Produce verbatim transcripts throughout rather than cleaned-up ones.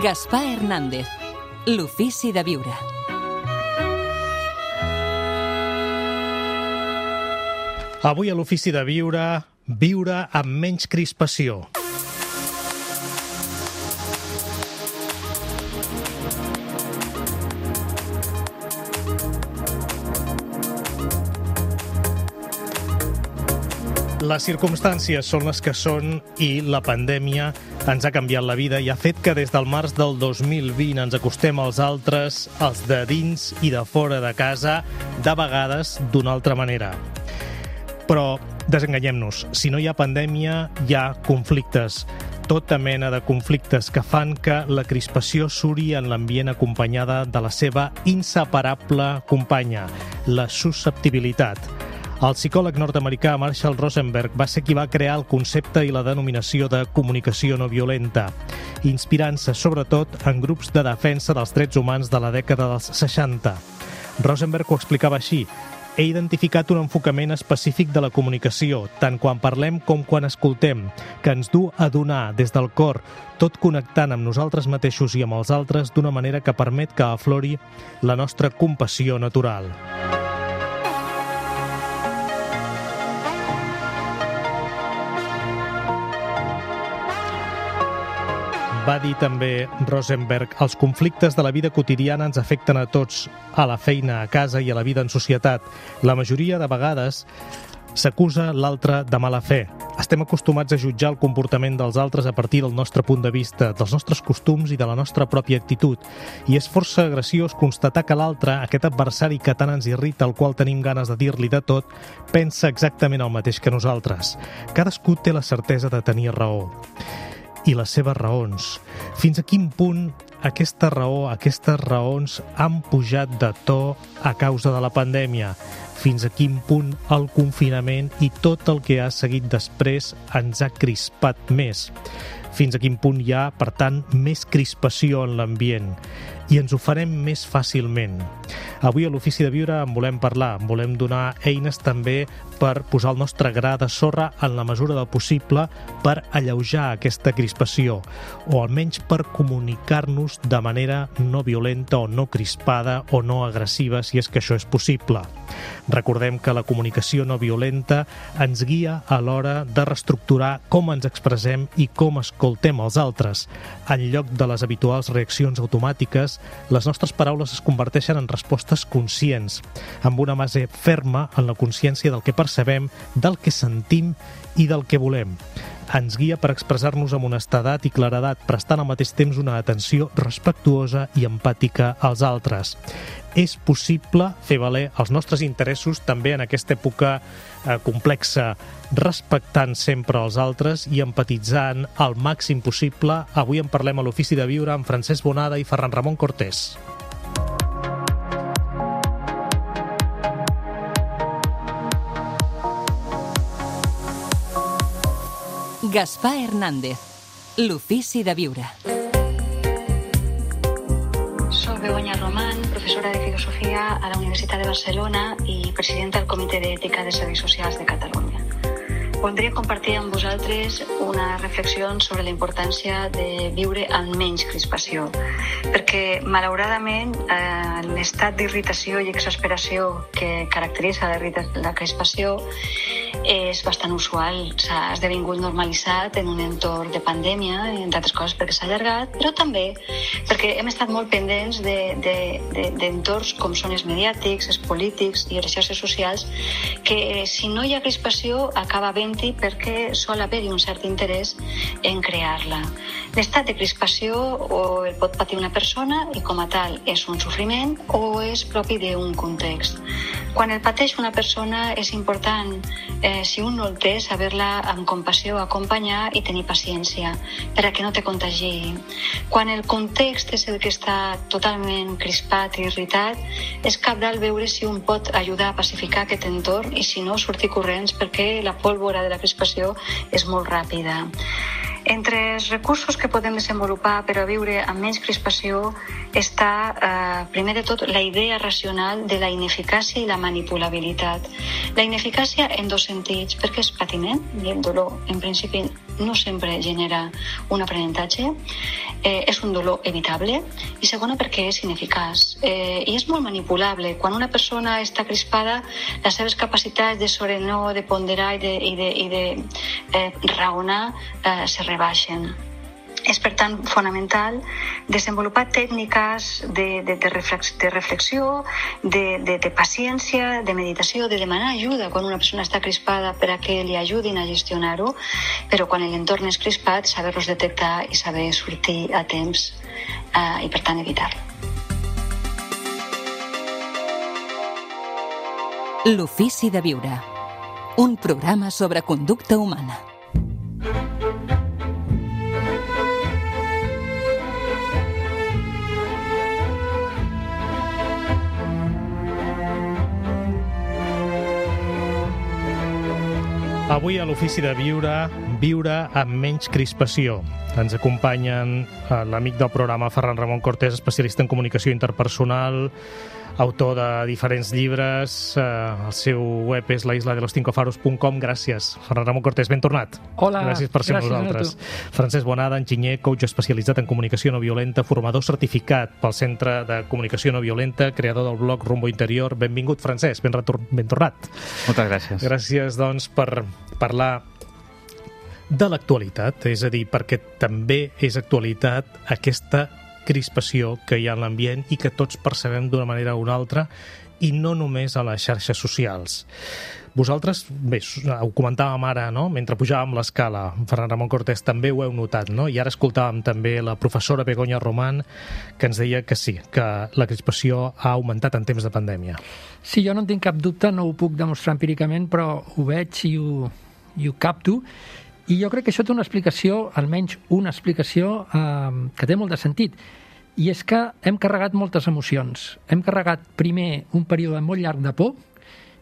Gaspar Hernández, l'ofici de viure. Avui a l'ofici de viure, viure amb menys crispació. Les circumstàncies són les que són i la pandèmia ens ha canviat la vida i ha fet que des del març del dos mil vint ens acostem als altres, els de dins i de fora de casa, de vegades d'una altra manera. Però desenganyem-nos, si no hi ha pandèmia, hi ha conflictes. Tota mena de conflictes que fan que la crispació suri en l'ambient acompanyada de la seva inseparable companya, la susceptibilitat. El psicòleg nord-americà Marshall Rosenberg va ser qui va crear el concepte i la denominació de comunicació no violenta, inspirant-se sobretot en grups de defensa dels drets humans de la dècada dels seixanta. Rosenberg ho explicava així: he identificat un enfocament específic de la comunicació, tant quan parlem com quan escoltem, que ens du a donar des del cor, tot connectant amb nosaltres mateixos i amb els altres d'una manera que permet que aflori la nostra compassió natural. Va dir també Rosenberg, els conflictes de la vida quotidiana ens afecten a tots, a la feina, a casa i a la vida en societat. La majoria de vegades s'acusa l'altre de mala fe. Estem acostumats a jutjar el comportament dels altres a partir del nostre punt de vista, dels nostres costums i de la nostra pròpia actitud. I és força graciós constatar que l'altre, aquest adversari que tant ens irrita, al qual tenim ganes de dir-li de tot, pensa exactament el mateix que nosaltres. Cadascú té la certesa de tenir raó. I les seves raons. Fins a quin punt aquesta raó, aquestes raons han pujat de to a causa de la pandèmia? Fins a quin punt el confinament i tot el que ha seguit després ens ha crispat més? Fins a quin punt hi ha, per tant, més crispació en l'ambient? I ens ho farem més fàcilment. Avui a l'Ofici de Viure en volem parlar, en volem donar eines també per posar el nostre gra de sorra en la mesura del possible per alleujar aquesta crispació, o almenys per comunicar-nos de manera no violenta o no crispada o no agressiva, si és que això és possible. Recordem que la comunicació no violenta ens guia a l'hora de reestructurar com ens expressem i com escoltem els altres. En lloc de les habituals reaccions automàtiques, les nostres paraules es converteixen en respostes conscients, amb una base ferma en la consciència del que percebem, del que sentim i del que volem. Ens guia per expressar-nos amb honestedat i claredat, prestant al mateix temps una atenció respectuosa i empàtica als altres. És possible fer valer els nostres interessos també en aquesta època eh, complexa, respectant sempre els altres i empatitzant al màxim possible. Avui en parlem a l'Ofici de Viure amb Francesc Bonada i Ferran Ramon Cortés. Gaspar Hernández, l'ofici de viure. Soc Begoña Román, professora de Filosofia a la Universitat de Barcelona i presidenta del Comitè d'Ètica de Serveis Socials de Catalunya. Voldria compartir amb vosaltres una reflexió sobre la importància de viure amb menys crispació, perquè, malauradament, eh, l'estat d'irritació i exasperació que caracteritza la crispació és bastant usual. S'ha esdevingut normalitzat en un entorn de pandèmia, entre altres coses perquè s'ha allargat, però també perquè hem estat molt pendents d'entorns com són els mediàtics, els polítics i les xarxes socials, que si no hi ha crispació acaba havent-hi perquè sol haver-hi un cert interès en crear-la. L'estat de crispació o el pot patir una persona i com a tal és un sofriment o és propi d'un context. Quan el pateix una persona és important, eh, si un no el té, saber-la amb compassió acompanyar i tenir paciència per a que no te contagi. Quan el context és el que està totalment crispat i irritat, és cabdal veure si un pot ajudar a pacificar aquest entorn i si no, sortir corrents perquè la pólvora de la crispació és molt ràpida. Entre els recursos que podem desenvolupar per a viure amb menys crispació està, eh, primer de tot, la idea racional de la ineficàcia i la manipulabilitat. La ineficàcia en dos sentits, perquè és patiment, i el dolor, en principi, no sempre genera un aprenentatge, eh, és un dolor evitable, i segona, perquè és ineficaç. Eh, I és molt manipulable. Quan una persona està crispada, les seves capacitats de sobrenar, de ponderar i de, i de, i de eh, raonar eh, se rebaixen. És, per tant, fonamental desenvolupar tècniques de, de, de, reflex, de reflexió, de, de, de paciència, de meditació, de demanar ajuda quan una persona està crispada per a que li ajudin a gestionar-ho, però quan l'entorn és crispat, saber-los detectar i saber sortir a temps eh, i, per tant, evitar-lo. L'ofici de viure. Un programa sobre conducta humana. Avui a l'Ofici de Viure, viure amb menys crispació. Ens acompanyen l'amic del programa Ferran Ramon Cortés, especialista en comunicació interpersonal, autor de diferents llibres. El seu web és la isla de los cinco faros punt com. Gràcies, Ferran Ramon Cortés, ben tornat. Hola, gràcies per ser amb nosaltres. Francesc Bonada, enginyer, coach especialitzat en comunicació no violenta, formador certificat pel Centre de Comunicació No Violenta, creador del blog Rumbo Interior. Benvingut, Francesc, ben, retor- ben tornat. Moltes gràcies. Gràcies, doncs, per parlar de l'actualitat, és a dir, perquè també és actualitat aquesta crispació que hi ha en l'ambient i que tots percebem d'una manera o una altra, i no només a les xarxes socials. Vosaltres, bé, ho comentàvem ara, no?, mentre pujàvem l'escala, Ferran Ramon Cortés, també ho heu notat, no?, i ara escoltàvem també la professora Begoña Román, que ens deia que sí, que la crispació ha augmentat en temps de pandèmia. Sí, jo no en tinc cap dubte, no ho puc demostrar empíricament, però ho veig i ho, i ho capto, i jo crec que això té una explicació, almenys una explicació, eh, que té molt de sentit, i és que hem carregat moltes emocions. Hem carregat primer un període molt llarg de por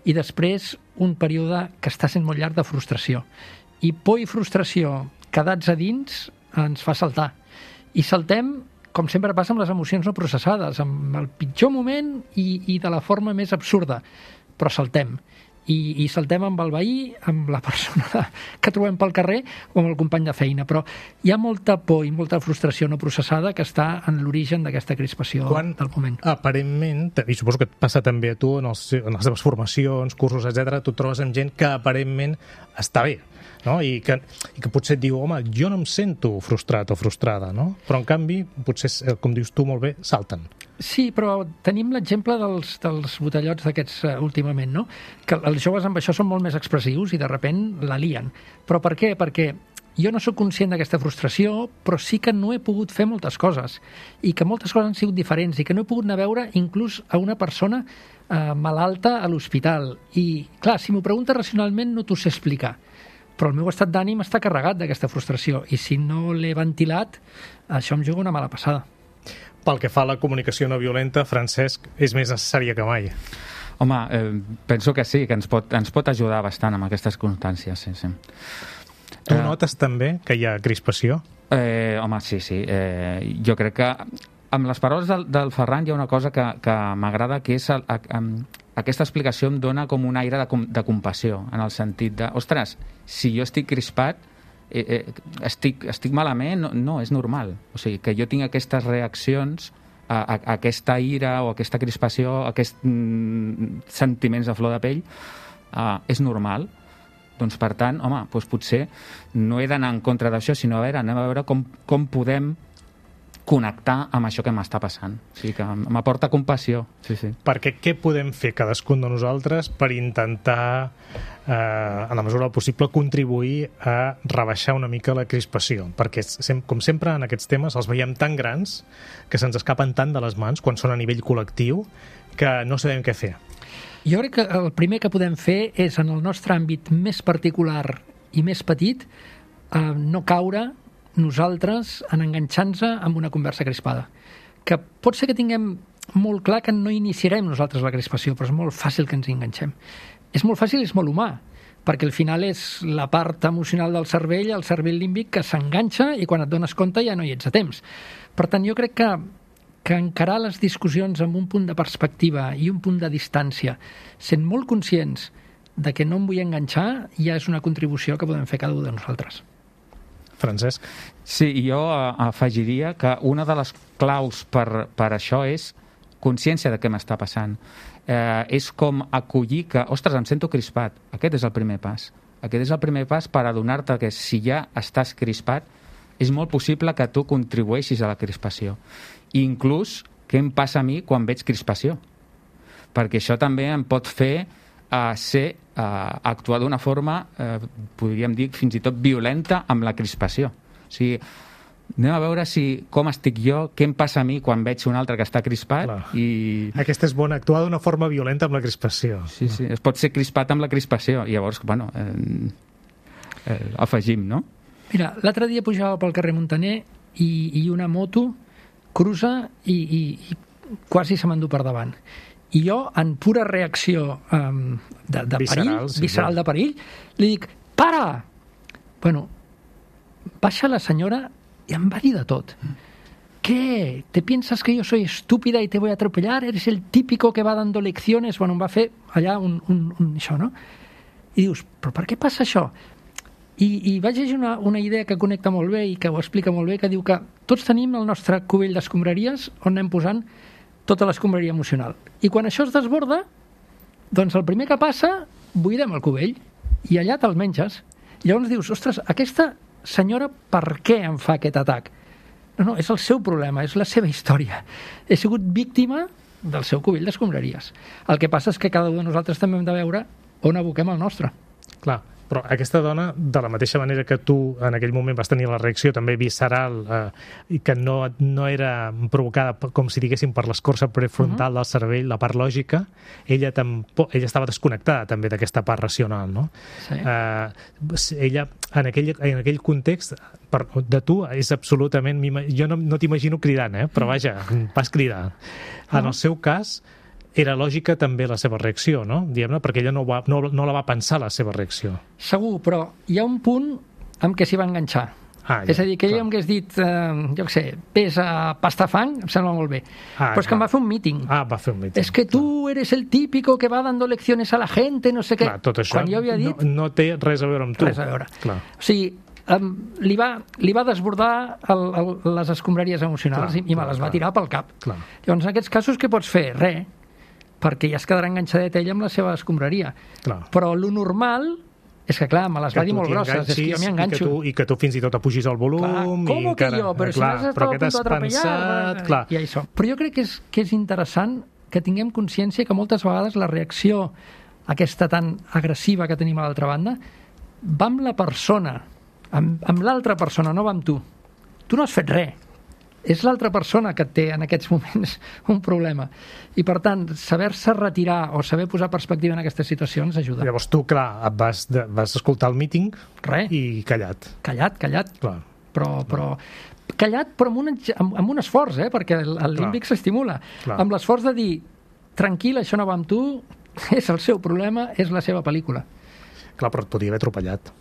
i després un període que està sent molt llarg de frustració. I por i frustració quedats a dins ens fa saltar. I saltem, com sempre passa amb les emocions no processades, amb el pitjor moment i, i de la forma més absurda, però saltem. I, i saltem amb el veí, amb la persona que trobem pel carrer o amb el company de feina, però hi ha molta por i molta frustració no processada que està en l'origen d'aquesta crispació Quan, del moment. Aparentment, i suposo que et passa també a tu en, els, en les teves formacions, cursos, etcètera, tu et trobes amb gent que aparentment està bé, no? I que, i que potser et diu, home, jo no em sento frustrat o frustrada, no? Però en canvi, potser, com dius tu molt bé, salten. Sí, però tenim l'exemple dels, dels botellots d'aquests uh, últimament, no? Que els joves amb això són molt més expressius i de sobte la lien. Però per què? Perquè jo no sóc conscient d'aquesta frustració, però sí que no he pogut fer moltes coses i que moltes coses han sigut diferents i que no he pogut anar a veure inclús a una persona eh, malalta a l'hospital. I, clar, si m'ho preguntes racionalment no t'ho sé explicar, però el meu estat d'ànim està carregat d'aquesta frustració i si no l'he ventilat, això em juga una mala passada. Pel que fa a la comunicació no violenta, Francesc, és més necessària que mai. Home, eh, penso que sí, que ens pot, ens pot ajudar bastant amb aquestes constàncies, sí, sí. Tu eh, notes també que hi ha crispació? Eh, home, sí, sí. Eh, jo crec que amb les paraules del, del Ferran hi ha una cosa que, que m'agrada, que és el, a, a, aquesta explicació em dona com un aire de, de compassió, en el sentit de, ostres, si jo estic crispat, Eh, eh, estic, estic malament, no, no, és normal. O sigui, que jo tinc aquestes reaccions a, a, a aquesta ira o a aquesta crispació, a aquests mm, sentiments de flor de pell, uh, és normal. Doncs, per tant, home, doncs potser no he d'anar en contra d'això, sinó a veure, anem a veure com, com podem connectar amb això que m'està passant. O sigui, que m'aporta compassió. Sí, sí. Perquè què podem fer cadascun de nosaltres per intentar, eh, en la mesura del possible, contribuir a rebaixar una mica la crispació? Perquè, com sempre, en aquests temes els veiem tan grans que se'ns escapen tant de les mans quan són a nivell col·lectiu que no sabem què fer. Jo crec que el primer que podem fer és, en el nostre àmbit més particular i més petit, eh, no caure nosaltres en enganxar-nos amb una conversa crispada. Que pot ser que tinguem molt clar que no iniciarem nosaltres la crispació, però és molt fàcil que ens enganxem. És molt fàcil i és molt humà, perquè al final és la part emocional del cervell, el cervell límbic, que s'enganxa i quan et dones compte ja no hi ets a temps. Per tant, jo crec que, que encarar les discussions amb un punt de perspectiva i un punt de distància, sent molt conscients de que no em vull enganxar, ja és una contribució que podem fer cada un de nosaltres. Francesc? Sí, jo afegiria que una de les claus per, per això és consciència de què m'està passant. Eh, és com acollir que, ostres, em sento crispat. Aquest és el primer pas. Aquest és el primer pas per adonar-te que si ja estàs crispat, és molt possible que tu contribueixis a la crispació. I inclús, què em passa a mi quan veig crispació? Perquè això també em pot fer a ser, a actuar d'una forma, eh, podríem dir, fins i tot violenta amb la crispació. O sigui, anem a veure si, com estic jo, què em passa a mi quan veig un altre que està crispat. Clar. I... Aquesta és bona, actuar d'una forma violenta amb la crispació. Sí, sí, es pot ser crispat amb la crispació. I llavors, bueno, eh, eh, afegim, no? Mira, l'altre dia pujava pel carrer Montaner i, i una moto cruza i, i, i quasi se m'endú per davant. I jo, en pura reacció um, de, de visceral, perill, sí, visceral sí. de perill, li dic, para! Bueno, baixa la senyora i em va dir de tot. ¿Qué? ¿Te piensas que yo soy estúpida y te voy a atropellar? ¿Eres el típico que va dando lecciones? Bueno, em va fer allà un, un, un això, no? I dius, però per què passa això? I, i vaig llegir una, una idea que connecta molt bé i que ho explica molt bé, que diu que tots tenim el nostre cubell d'escombraries on anem posant tota l'escombraria emocional. I quan això es desborda, doncs el primer que passa, buidem el cubell i allà te'l menges. I llavors dius, ostres, aquesta senyora per què em fa aquest atac? No, no, és el seu problema, és la seva història. He sigut víctima del seu cubell d'escombraries. El que passa és que cada un de nosaltres també hem de veure on aboquem el nostre. Clar, però aquesta dona, de la mateixa manera que tu en aquell moment vas tenir la reacció també visceral eh, i que no, no era provocada, com si diguéssim, per l'escorça prefrontal uh-huh. del cervell, la part lògica, ella, tampoc, ella estava desconnectada també d'aquesta part racional, no? Sí. Eh, ella, en aquell, en aquell context, per, de tu, és absolutament... Jo no, no t'imagino cridant, eh? Però vaja, vas cridar. En uh-huh. el seu cas, era lògica també la seva reacció, no? Diguem-ne, perquè ella no, va, no, no la va pensar, la seva reacció. Segur, però hi ha un punt amb què s'hi va enganxar. Ah, ja, és a dir, que ella em hagués dit, eh, jo què sé, ves a Pastafang, em sembla molt bé. Ah, però és que em va fer un míting. Ah, va fer un míting. És que tu eres el típico que va dando lecciones a la gente, no sé què. Clar, tot això Quan jo havia dit, no, no té res a veure amb tu. Res a veure. Clar. O sigui, um, li, va, li va desbordar el, el, les escombraries emocionals Clar, i, i me clar, les va clar. tirar pel cap. Clar. Llavors, en aquests casos, què pots fer? Res, perquè ja es quedarà enganxadet ella amb la seva escombraria. Clar. Però lo normal és que, clar, me les Que va dir tu molt t'hi grosses, és que jo m'hi enganxis enganxo. I que, tu, I que tu fins i tot apugis el volum. Clar, com i que encara, jo? Però si clar, m'has però estat què a punt t'has d'atropellar... pensat? Clar. I això. Però jo crec que és, que és interessant que tinguem consciència que moltes vegades la reacció aquesta tan agressiva que tenim a l'altra banda va amb la persona, amb, amb l'altra persona, no va amb tu. Tu no has fet res. És l'altra persona que té en aquests moments un problema. I, per tant, saber-se retirar o saber posar perspectiva en aquestes situacions ajuda. Llavors tu, clar, et vas, de, vas escoltar el míting Res. i callat. Callat, callat. Clar. Però, però callat, però amb un, amb, amb un esforç, eh? Perquè el, el límbic s'estimula. Clar. Amb l'esforç de dir, tranquil, això no va amb tu, és el seu problema, és la seva pel·lícula. Clar, però et podia haver atropellat.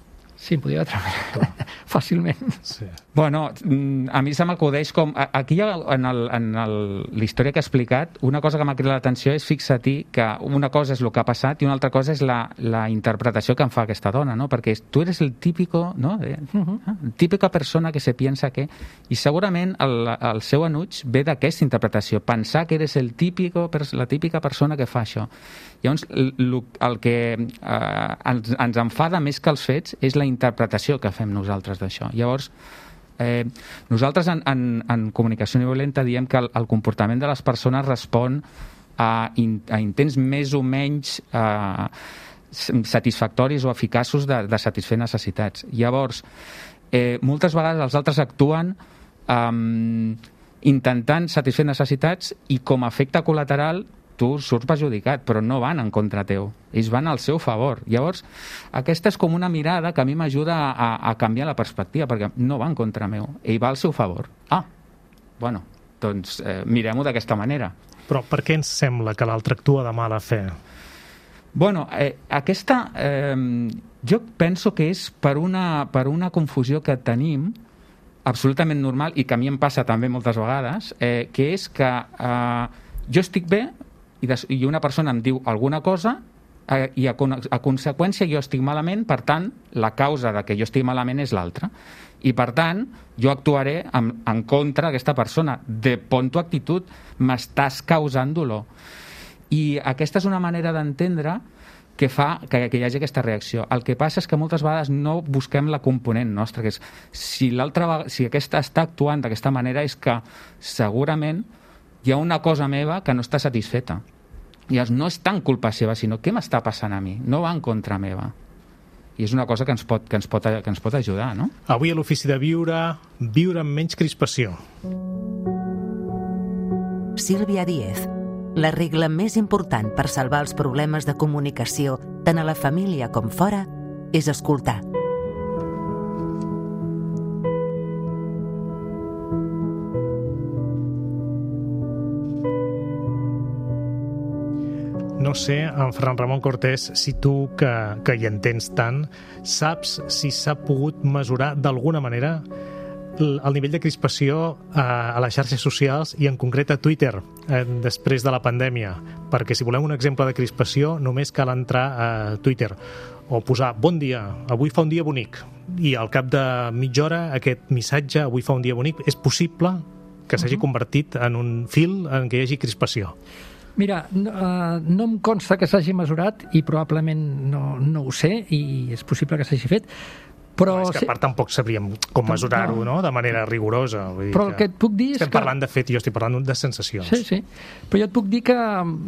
Sí, em podia treballar fàcilment. Sí. Bueno, a mi se m'acudeix com... Aquí, en, el, en el, la història que ha explicat, una cosa que m'ha cridat l'atenció és fixa-t'hi que una cosa és el que ha passat i una altra cosa és la, la interpretació que en fa aquesta dona, no? Perquè tu eres el típico, no? Uh-huh. Típica persona que se piensa que... I segurament el, el seu enuig ve d'aquesta interpretació, pensar que eres el típico, la típica persona que fa això. Llavors, el, el que eh, ens, ens enfada més que els fets és la interpretació que fem nosaltres d'això. Llavors, eh, nosaltres en, en, en comunicació no violenta diem que el, el comportament de les persones respon a, in, a intents més o menys eh, satisfactoris o eficaços de, de satisfer necessitats. Llavors, eh, moltes vegades els altres actuen eh, intentant satisfer necessitats i com a efecte col·lateral tu surts perjudicat, però no van en contra teu. Ells van al seu favor. Llavors, aquesta és com una mirada que a mi m'ajuda a, a canviar la perspectiva, perquè no va en contra meu. Ell va al seu favor. Ah, bueno, doncs eh, mirem-ho d'aquesta manera. Però per què ens sembla que l'altre actua de mala fe? Bueno, eh, aquesta... Eh, Jo penso que és per una, per una confusió que tenim absolutament normal i que a mi em passa també moltes vegades, eh, que és que eh, jo estic bé i, des, i una persona em diu alguna cosa eh, i a, a conseqüència jo estic malament, per tant, la causa de que jo estigui malament és l'altra. I per tant, jo actuaré en, en contra d'aquesta persona. De pon tu actitud, m'estàs causant dolor. I aquesta és una manera d'entendre que fa que, que hi hagi aquesta reacció. El que passa és que moltes vegades no busquem la component nostra, que és si l'altra si aquesta està actuant d'aquesta manera és que segurament hi ha una cosa meva que no està satisfeta. I no és tant culpa seva, sinó què m'està passant a mi? No va en contra meva. I és una cosa que ens pot, que ens pot, que ens pot ajudar, no? Avui a l'Ofici de Viure, viure amb menys crispació. Sílvia Díez. La regla més important per salvar els problemes de comunicació, tant a la família com fora, és escoltar. No sé, en Ferran Ramon Cortés, si tu, que, que hi entens tant, saps si s'ha pogut mesurar d'alguna manera el nivell de crispació a les xarxes socials i en concret a Twitter després de la pandèmia, perquè si volem un exemple de crispació només cal entrar a Twitter o posar bon dia, avui fa un dia bonic, i al cap de mitja hora aquest missatge, avui fa un dia bonic, és possible que s'hagi convertit en un fil en què hi hagi crispació. Mira, no, uh, no em consta que s'hagi mesurat i probablement no, no ho sé i és possible que s'hagi fet. Però no, és que a part tampoc sabríem com mesurar-ho, no?, de manera rigorosa. Vull dir però el que et puc dir és que... Estem parlant de fet i jo estic parlant de sensacions. Sí, sí. Però jo et puc dir que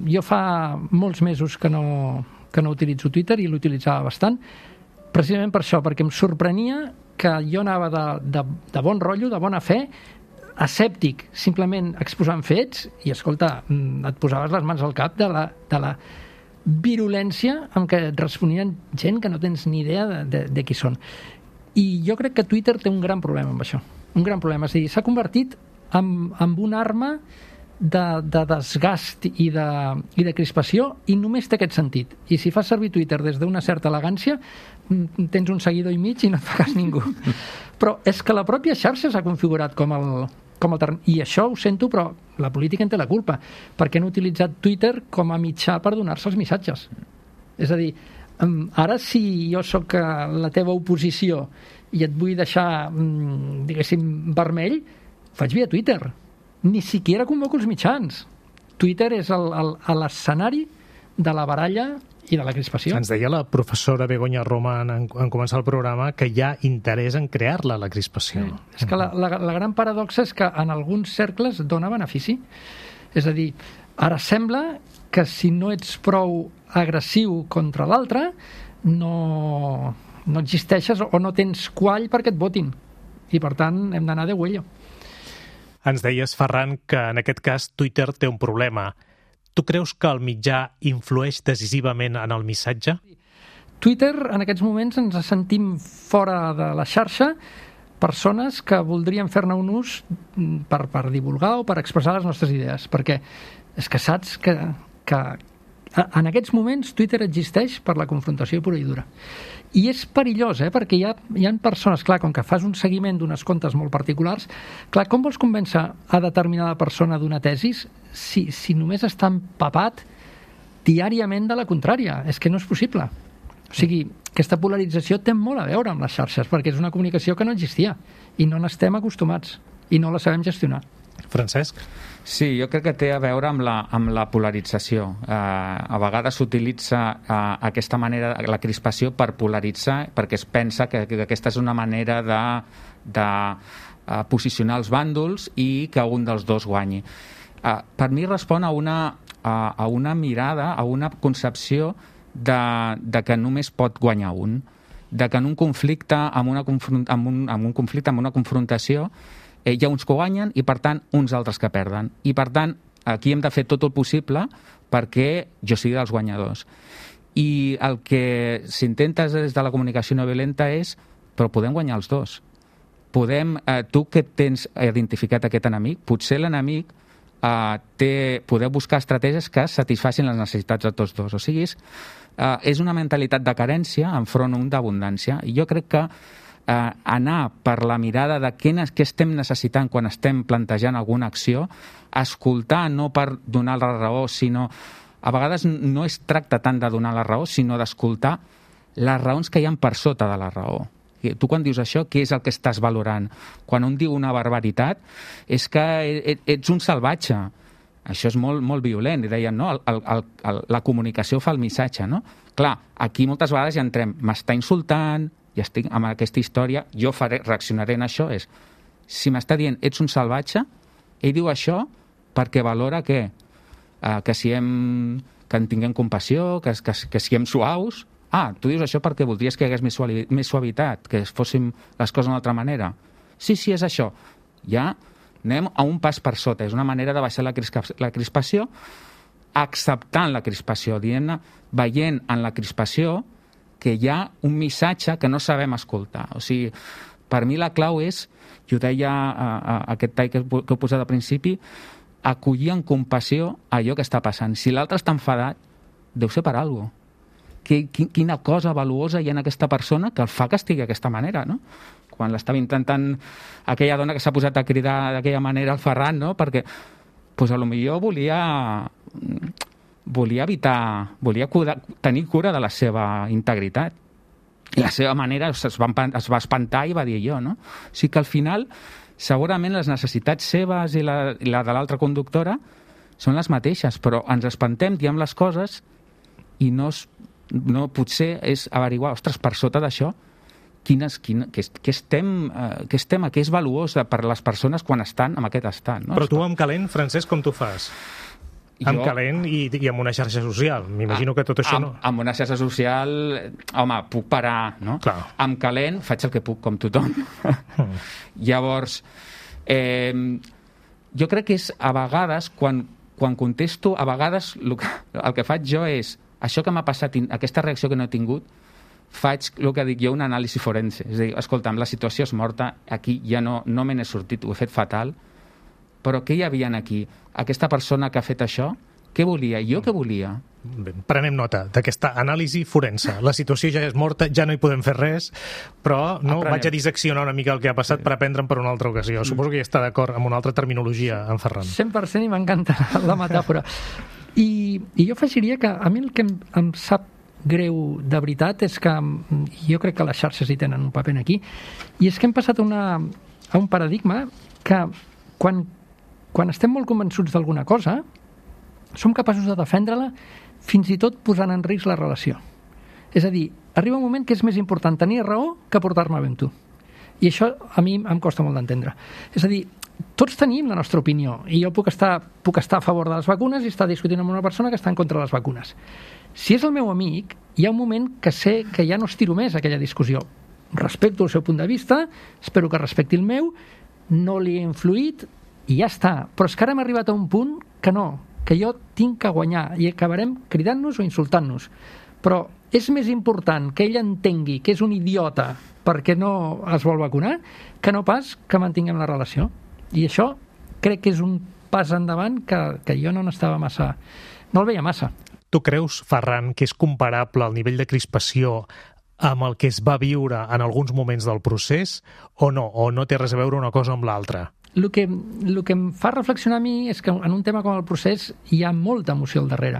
jo fa molts mesos que no, que no utilitzo Twitter i l'utilitzava bastant, precisament per això, perquè em sorprenia que jo anava de, de, de bon rotllo, de bona fe, escèptic, simplement exposant fets, i escolta, et posaves les mans al cap de la... De la virulència amb què et responien gent que no tens ni idea de, de, de qui són. I jo crec que Twitter té un gran problema amb això. Un gran problema. És a dir, s'ha convertit en, en una arma de, de desgast i de, i de crispació i només té aquest sentit. I si fas servir Twitter des d'una certa elegància, tens un seguidor i mig i no et fa cas ningú. Però és que la pròpia xarxa s'ha configurat com el... com el terreny. I això ho sento, però la política en té la culpa, perquè han utilitzat Twitter com a mitjà per donar-se els missatges. És a dir, ara si jo sóc la teva oposició i et vull deixar, diguéssim, vermell, faig via Twitter. Ni siquiera convoco els mitjans. Twitter és l'escenari de la baralla i de la crispació. Ens deia la professora Begoña Román en, en començar el programa que hi ha interès en crear-la, la crispació. Sí. És que la, la, la gran paradoxa és que en alguns cercles dona benefici. És a dir, ara sembla que si no ets prou agressiu contra l'altre, no, no existeixes o no tens quall perquè et votin. I per tant hem d'anar de huello. Ens deies, Ferran, que en aquest cas Twitter té un problema. Tu creus que el mitjà influeix decisivament en el missatge? Twitter, en aquests moments, ens sentim fora de la xarxa persones que voldrien fer-ne un ús per, per divulgar o per expressar les nostres idees, perquè és que saps que, que en aquests moments Twitter existeix per la confrontació pura i dura. I és perillós, eh? Perquè hi ha, hi ha persones, clar, com que fas un seguiment d'unes comptes molt particulars, clar, com vols convèncer a determinada persona d'una tesis si, si només està empapat diàriament de la contrària? És que no és possible. O sigui, aquesta polarització té molt a veure amb les xarxes, perquè és una comunicació que no existia i no n'estem acostumats i no la sabem gestionar. Francesc? Sí, jo crec que té a veure amb la, amb la polarització. Eh, a vegades s'utilitza eh, aquesta manera, la crispació, per polaritzar, perquè es pensa que, que aquesta és una manera de, de eh, posicionar els bàndols i que un dels dos guanyi. Eh, per mi respon a una, a, a una mirada, a una concepció de, de que només pot guanyar un, de que en un conflicte, amb, una confront, amb, un, amb un conflicte, amb una confrontació, eh, hi ha uns que guanyen i, per tant, uns altres que perden. I, per tant, aquí hem de fer tot el possible perquè jo sigui dels guanyadors. I el que s'intenta des de la comunicació no violenta és, però podem guanyar els dos. Podem, eh, tu que tens identificat aquest enemic, potser l'enemic uh, té, poder buscar estratègies que satisfacin les necessitats de tots dos. O sigui, és, uh, és una mentalitat de carència enfront un d'abundància. I jo crec que uh, anar per la mirada de què, què estem necessitant quan estem plantejant alguna acció, escoltar no per donar la raó, sinó... A vegades no es tracta tant de donar la raó, sinó d'escoltar les raons que hi ha per sota de la raó. Tu quan dius això, què és el que estàs valorant? Quan un diu una barbaritat, és que ets un salvatge. Això és molt, molt violent. I deien, no, el, el, el, la comunicació fa el missatge, no? Clar, aquí moltes vegades ja entrem, m'està insultant, ja estic amb aquesta història, jo faré, reaccionaré en això, és, si m'està dient, ets un salvatge, ell diu això perquè valora què? Uh, que si hem, que en tinguem compassió, que, que, que siguem suaus. Ah, tu dius això perquè voldries que hi hagués més, suavi, més suavitat, que fóssim les coses d'una altra manera. Sí, sí, és això. Ja anem a un pas per sota. És una manera de baixar la, crispa, la crispació, acceptant la crispació, dient-ne, veient en la crispació que hi ha un missatge que no sabem escoltar. O sigui, per mi la clau és, i ho deia a, a, a aquest tall que, que he posat al principi, acollir en compassió allò que està passant. Si l'altre està enfadat, deu ser per alguna cosa. Quina cosa valuosa hi ha en aquesta persona que el fa que estigui d'aquesta manera, no? Quan l'estava intentant aquella dona que s'ha posat a cridar d'aquella manera al Ferran, no? Perquè, pues, a lo millor volia volia evitar, volia cura, tenir cura de la seva integritat. I la seva manera es va, es va espantar i va dir jo, no? O sigui que al final segurament les necessitats seves i la, i la de l'altra conductora són les mateixes, però ens espantem, diem les coses i no, no potser és averiguar, ostres, per sota d'això, quines, quina, què, què, estem, eh, què estem, què és valuós per a les persones quan estan en aquest estat. No? Però tu amb calent, Francesc, com tu fas? Jo, amb calent i, i amb una xarxa social. M'imagino que tot això amb, no... Amb una xarxa social, home, puc parar, no? Clar. Amb calent faig el que puc, com tothom. Mm. Llavors, eh, jo crec que és a vegades, quan, quan contesto, a vegades el que, el que faig jo és, això que m'ha passat, aquesta reacció que no he tingut, faig el que dic jo, un anàlisi forense. És a dir, escolta'm, la situació és morta, aquí ja no, no me n'he sortit, ho he fet fatal, però què hi havia aquí? Aquesta persona que ha fet això, què volia? Jo què volia? Bé, prenem nota d'aquesta anàlisi forense. La situació ja és morta, ja no hi podem fer res, però no Aprenem. Vaig a disseccionar una mica el que ha passat sí. per aprendre'n per una altra ocasió. Mm. Suposo que ja està d'acord amb una altra terminologia, en Ferran. cent per cent i m'encanta la metàfora. I, I jo afegiria que a mi el que em, em sap greu de veritat és que jo crec que les xarxes hi tenen un paper aquí, i és que hem passat una, a un paradigma que quan Quan estem molt convençuts d'alguna cosa, som capaços de defendre-la fins i tot posant en risc la relació. És a dir, arriba un moment que és més important tenir raó que portar-me bé amb tu. I això a mi em costa molt d'entendre. És a dir, tots tenim la nostra opinió i jo puc estar, puc estar a favor de les vacunes i estar discutint amb una persona que està en contra de les vacunes. Si és el meu amic, hi ha un moment que sé que ja no estiro més aquella discussió. Respecto el seu punt de vista, espero que respecti el meu, no li he influït, i ja està, però és que ara hem arribat a un punt que no, que jo tinc que guanyar i acabarem cridant-nos o insultant-nos. Però és més important que ell entengui que és un idiota perquè no es vol vacunar que no pas que mantinguem la relació. I això crec que és un pas endavant que, que jo no n'estava massa... no el veia massa. Tu creus, Ferran, que és comparable el nivell de crispació amb el que es va viure en alguns moments del procés o no? O no té res a veure una cosa amb l'altra? El que, el que em fa reflexionar a mi és que en un tema com el procés hi ha molta emoció al darrere.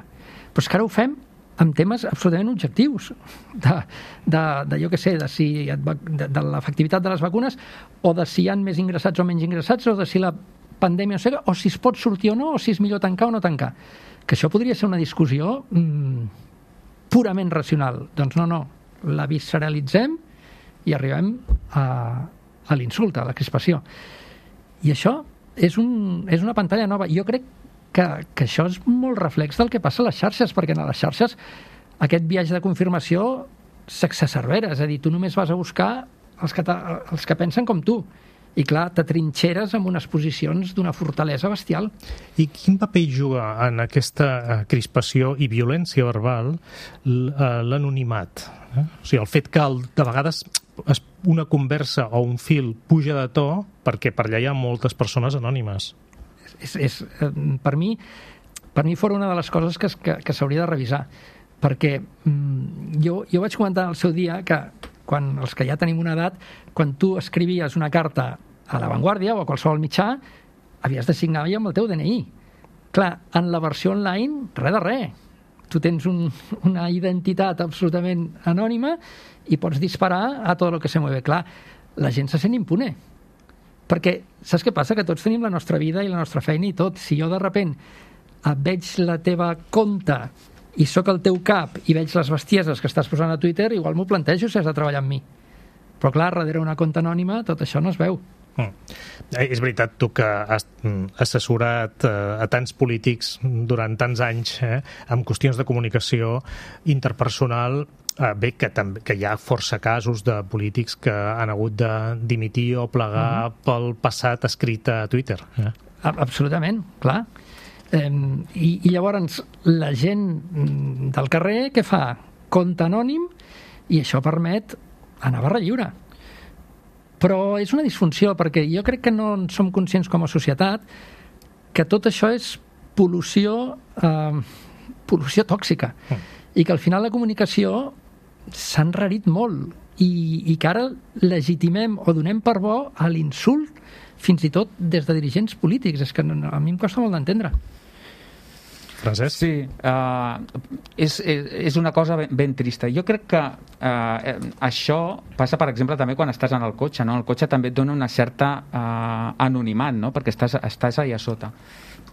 Però és que ara ho fem amb temes absolutament objectius de, de, de jo què sé, de, si, de, de l'efectivitat de les vacunes o de si hi ha més ingressats o menys ingressats o de si la pandèmia no sé, o si es pot sortir o no o si és millor tancar o no tancar. Que això podria ser una discussió mmm, purament racional. Doncs no, no, la visceralitzem i arribem a, a l'insult, a la crispació. I això és, un, és una pantalla nova. Jo crec que, que això és molt reflex del que passa a les xarxes, perquè a les xarxes aquest viatge de confirmació s'exacerbera. És a dir, tu només vas a buscar els que, els que pensen com tu. I clar, t'atrinxeres amb unes posicions d'una fortalesa bestial. I quin paper juga en aquesta crispació i violència verbal l'anonimat? Eh? O sigui, el fet que el, de vegades una conversa o un fil puja de to perquè per allà hi ha moltes persones anònimes. és, és, per mi per mi fora una de les coses que, que, que s'hauria de revisar, perquè mm, jo, jo vaig comentar al seu dia que quan els que ja tenim una edat, quan tu escrivies una carta a La Vanguardia o a qualsevol mitjà, havies de signar amb el teu D N I. Clar, en la versió online, res de res. Tu tens un, una identitat absolutament anònima i pots disparar a tot el que se mueve. Clar, la gent se sent impune. Perquè, saps què passa? Que tots tenim la nostra vida i la nostra feina i tot. Si jo de repent et veig la teva compte i sóc el teu cap i veig les bestieses que estàs posant a Twitter, igual m'ho plantejo si has de treballar amb mi. Però clar, darrere una compte anònima tot això no es veu. Mm. Eh, és veritat, tu que has assessorat eh, a tants polítics durant tants anys eh, amb qüestions de comunicació interpersonal, eh, bé, que, també, que hi ha força casos de polítics que han hagut de dimitir o plegar mm-hmm. pel passat escrit a Twitter. Eh? Absolutament, clar. Eh, i, I llavors la gent del carrer què fa? Compte anònim, i això permet anar a barra lliure. Però és una disfunció, perquè jo crec que no en som conscients com a societat que tot això és pol·lució eh, pol·lució tòxica mm. i que al final la comunicació s'ha enrarit molt i, i que ara legitimem o donem per bo a l'insult fins i tot des de dirigents polítics. És que a mi em costa molt d'entendre. Francesc? Sí, uh, és, és, és una cosa ben, ben trista. Jo crec que uh, això passa, per exemple, també quan estàs en el cotxe, no? El cotxe també et dona una certa uh, anonimat, no? Perquè estàs, estàs allà sota.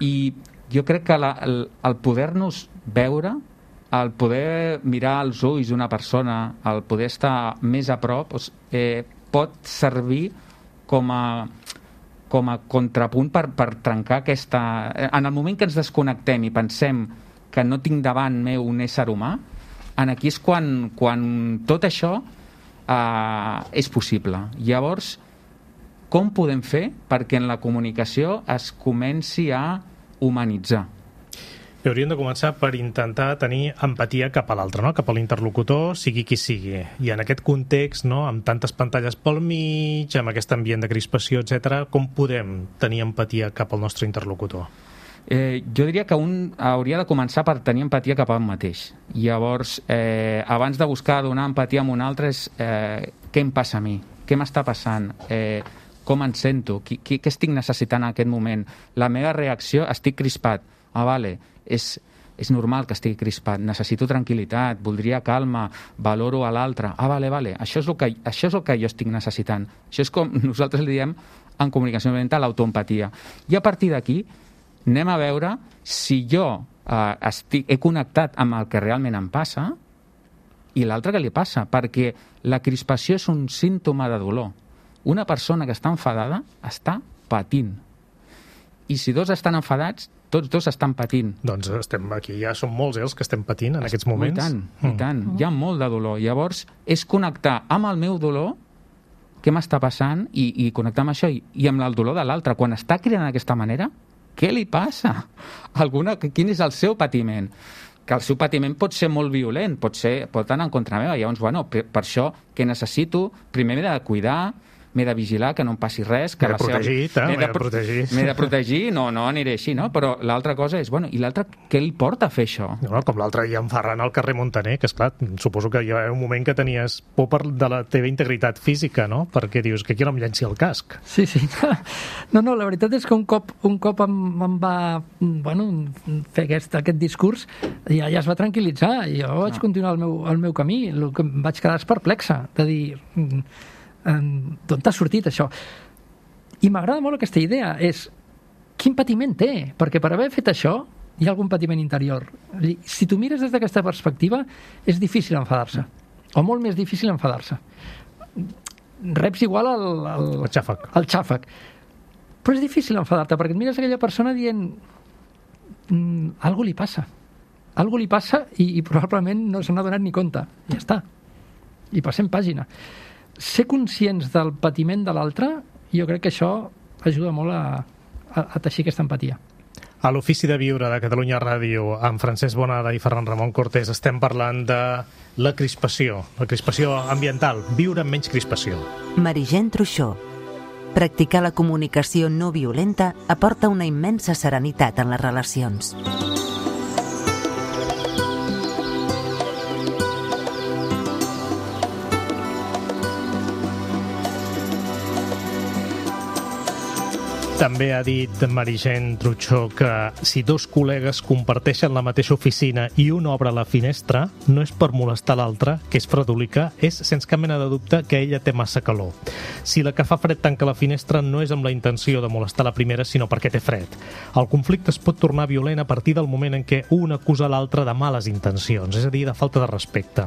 I jo crec que la, el, el poder-nos veure, el poder mirar als ulls d'una persona, el poder estar més a prop, eh, pot servir com a com a contrapunt per, per trencar aquesta... En el moment que ens desconnectem i pensem que no tinc davant meu un ésser humà, en aquí és quan, quan tot això eh, és possible. Llavors, com podem fer perquè en la comunicació es comenci a humanitzar? I hauríem de començar per intentar tenir empatia cap a l'altre, no? Cap a l'interlocutor, sigui qui sigui. I en aquest context, no? Amb tantes pantalles pel mig, amb aquest ambient de crispació, etcètera, com podem tenir empatia cap al nostre interlocutor? Eh, jo diria que un hauria de començar per tenir empatia cap a un mateix. Llavors, eh, abans de buscar donar empatia a un altre, és eh, què em passa a mi? Què m'està passant? Eh, com em sento? Qui, qui, què estic necessitant en aquest moment? La meva reacció, estic crispat. Ah, vale, és, és normal que estigui crispat, necessito tranquil·litat, voldria calma, valoro a l'altre. Ah, vale, vale, això és, el que, això és el que jo estic necessitant. Això és com nosaltres li diem en comunicació mental l'autoempatia. I a partir d'aquí anem a veure si jo eh, estic, he connectat amb el que realment em passa i l'altre que li passa, perquè la crispació és un símptoma de dolor. Una persona que està enfadada està patint. I si dos estan enfadats, tots dos estan patint. Doncs estem aquí, ja som molts eh, els que estem patint en aquests moments. I tant, mm. i tant. Hi ha molt de dolor. Llavors, és connectar amb el meu dolor, què m'està passant, i, i connectar amb això, i, i amb el dolor de l'altre. Quan està cridant d'aquesta manera, què li passa? Alguna, quin és el seu patiment? Que el seu patiment pot ser molt violent, pot, ser, pot anar en contra meva. Llavors, bueno, per, per això, que necessito, primer m'he de cuidar, m'he de vigilar que no em passi res, que m'he de protegir, seva... m'he de protegir. M'he de protegir, no, no aniré així, no? Però l'altra cosa és, bueno, i l'altre què li porta a fer això? No, com l'altre dia en Ferran al carrer Montaner, que esclar, suposo que hi ha un moment que tenies por per de la teva integritat física, no? Perquè dius que aquí no em llenci el casc. Sí, sí. No, no, la veritat és que un cop, un cop em, em va bueno, fer aquest, aquest discurs, ja, ja es va tranquil·litzar, i jo vaig no. continuar el meu, el meu camí. El que em vaig quedar és perplexa, de dir... d'on t'ha sortit això? I m'agrada molt aquesta idea, és quin patiment té, perquè per haver fet això hi ha algun patiment interior. Si tu mires des d'aquesta perspectiva és difícil enfadar-se, o molt més difícil enfadar-se. Reps igual al, al, el xàfec. al xàfec, però és difícil enfadar-te perquè et mires aquella persona dient mm, algo li passa algo li passa i, i probablement no se n'ha donat ni compte, ja està, i passem pàgina. Ser conscients del patiment de l'altre, jo crec que això ajuda molt a, a, a teixir aquesta empatia. A l'Ofici de Viure de Catalunya Ràdio, amb Francesc Bonada i Ferran Ramon Cortés, estem parlant de la crispació, la crispació ambiental, viure amb menys crispació. Merigent Truixó. Practicar la comunicació no violenta aporta una immensa serenitat en les relacions. També ha dit Meritxell Truchó que si dos col·legues comparteixen la mateixa oficina i un obre la finestra, no és per molestar l'altre, que és fredolica, és sense cap mena de dubte que ella té massa calor. Si la que fa fred tanca la finestra no és amb la intenció de molestar la primera, sinó perquè té fred. El conflicte es pot tornar violent a partir del moment en què un acusa l'altre de males intencions, és a dir, de falta de respecte.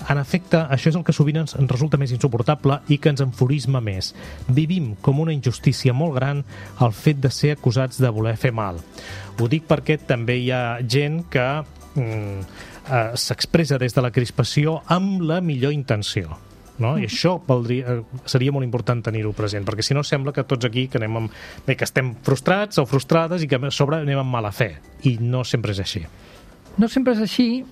En efecte, això és el que sovint ens resulta més insuportable i que ens enfurisma més. Vivim com una injustícia molt gran el fet de ser acusats de voler fer mal. Ho dic perquè també hi ha gent que mm, eh, s'expressa des de la crispació amb la millor intenció. No? I això valdria, seria molt important tenir-ho present, perquè si no sembla que tots aquí que, anem amb, bé, que estem frustrats o frustrades i que a sobre anem amb mala fe, i no sempre és així. No sempre és així,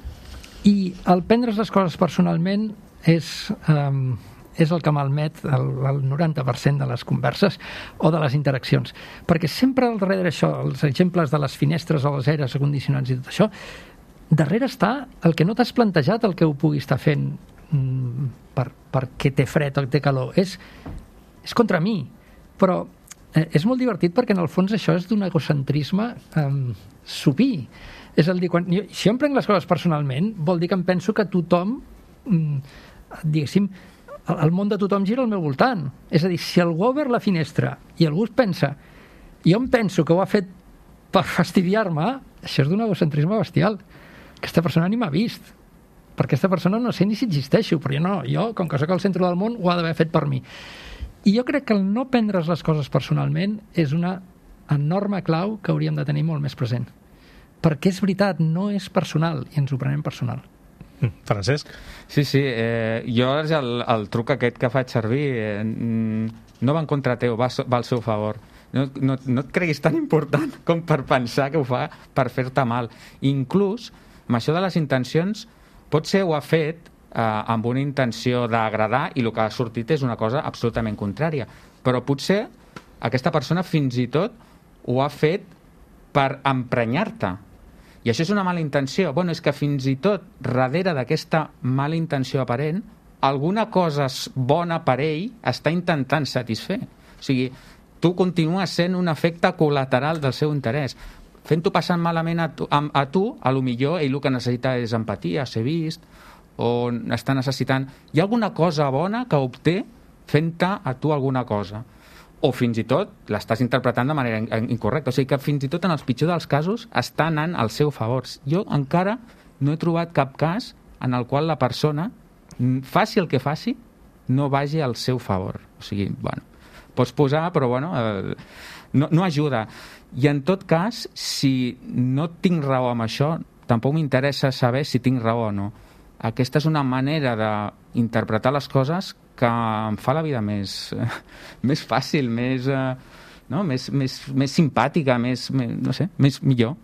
i el prendre's les coses personalment és... Um... és el que malmet el, el noranta per cent de les converses o de les interaccions. Perquè sempre al darrere això, els exemples de les finestres o els aires acondicionats i tot això, darrere està el que no t'has plantejat el que ho pugui estar fent mm, per, perquè té fred o té calor. És, és contra mi. Però eh, és molt divertit perquè en el fons això és d'un egocentrisme eh, supí. És a dir, quan, jo, si jo em prenc les coses personalment, vol dir que em penso que tothom, mm, diguéssim, el món de tothom gira al meu voltant. És a dir, si algú ha obert la finestra i algú es pensa, jo em penso que ho ha fet per fastidiar-me, això és d'un egocentrisme bestial. Aquesta persona ni m'ha vist. Per aquesta persona no sé ni si existeixo, però jo no, jo, com que soc al centre del món, ho ha d'haver fet per mi. I jo crec que el no prendre's les coses personalment és una enorme clau que hauríem de tenir molt més present. Perquè és veritat, no és personal, i ens ho prenem personal. Francesc? Sí, sí, eh, jo el, el truc aquest que faig servir eh, no va en contra teu, va, va al seu favor. No, no, no et creguis tan important com per pensar que ho fa per fer-te mal. Inclús, amb això de les intencions, potser ho ha fet eh, amb una intenció d'agradar i el que ha sortit és una cosa absolutament contrària. Però potser aquesta persona fins i tot ho ha fet per emprenyar-te. I això és una mala intenció. Bueno, és que fins i tot, darrere d'aquesta mala intenció aparent, alguna cosa bona per ell està intentant satisfer. O sigui, tu continues sent un efecte col·lateral del seu interès. Fent-ho passant malament a tu, a, a tu, a lo millor ell el que necessita és empatia, ser vist, o està necessitant... Hi ha alguna cosa bona que obté fent-te a tu alguna cosa. O fins i tot l'estàs interpretant de manera incorrecta. O sigui que fins i tot en els pitjors dels casos està anant al seu favor. Jo encara no he trobat cap cas en el qual la persona, faci el que faci, no vagi al seu favor. O sigui, bueno, pots posar, però bueno, eh, no, no ajuda. I en tot cas, si no tinc raó amb això, tampoc m'interessa saber si tinc raó o no. Aquesta és una manera d'interpretar les coses que em fa la vida més, més fàcil, més, no? més, més, més simpàtica, més, més, no sé, més millor.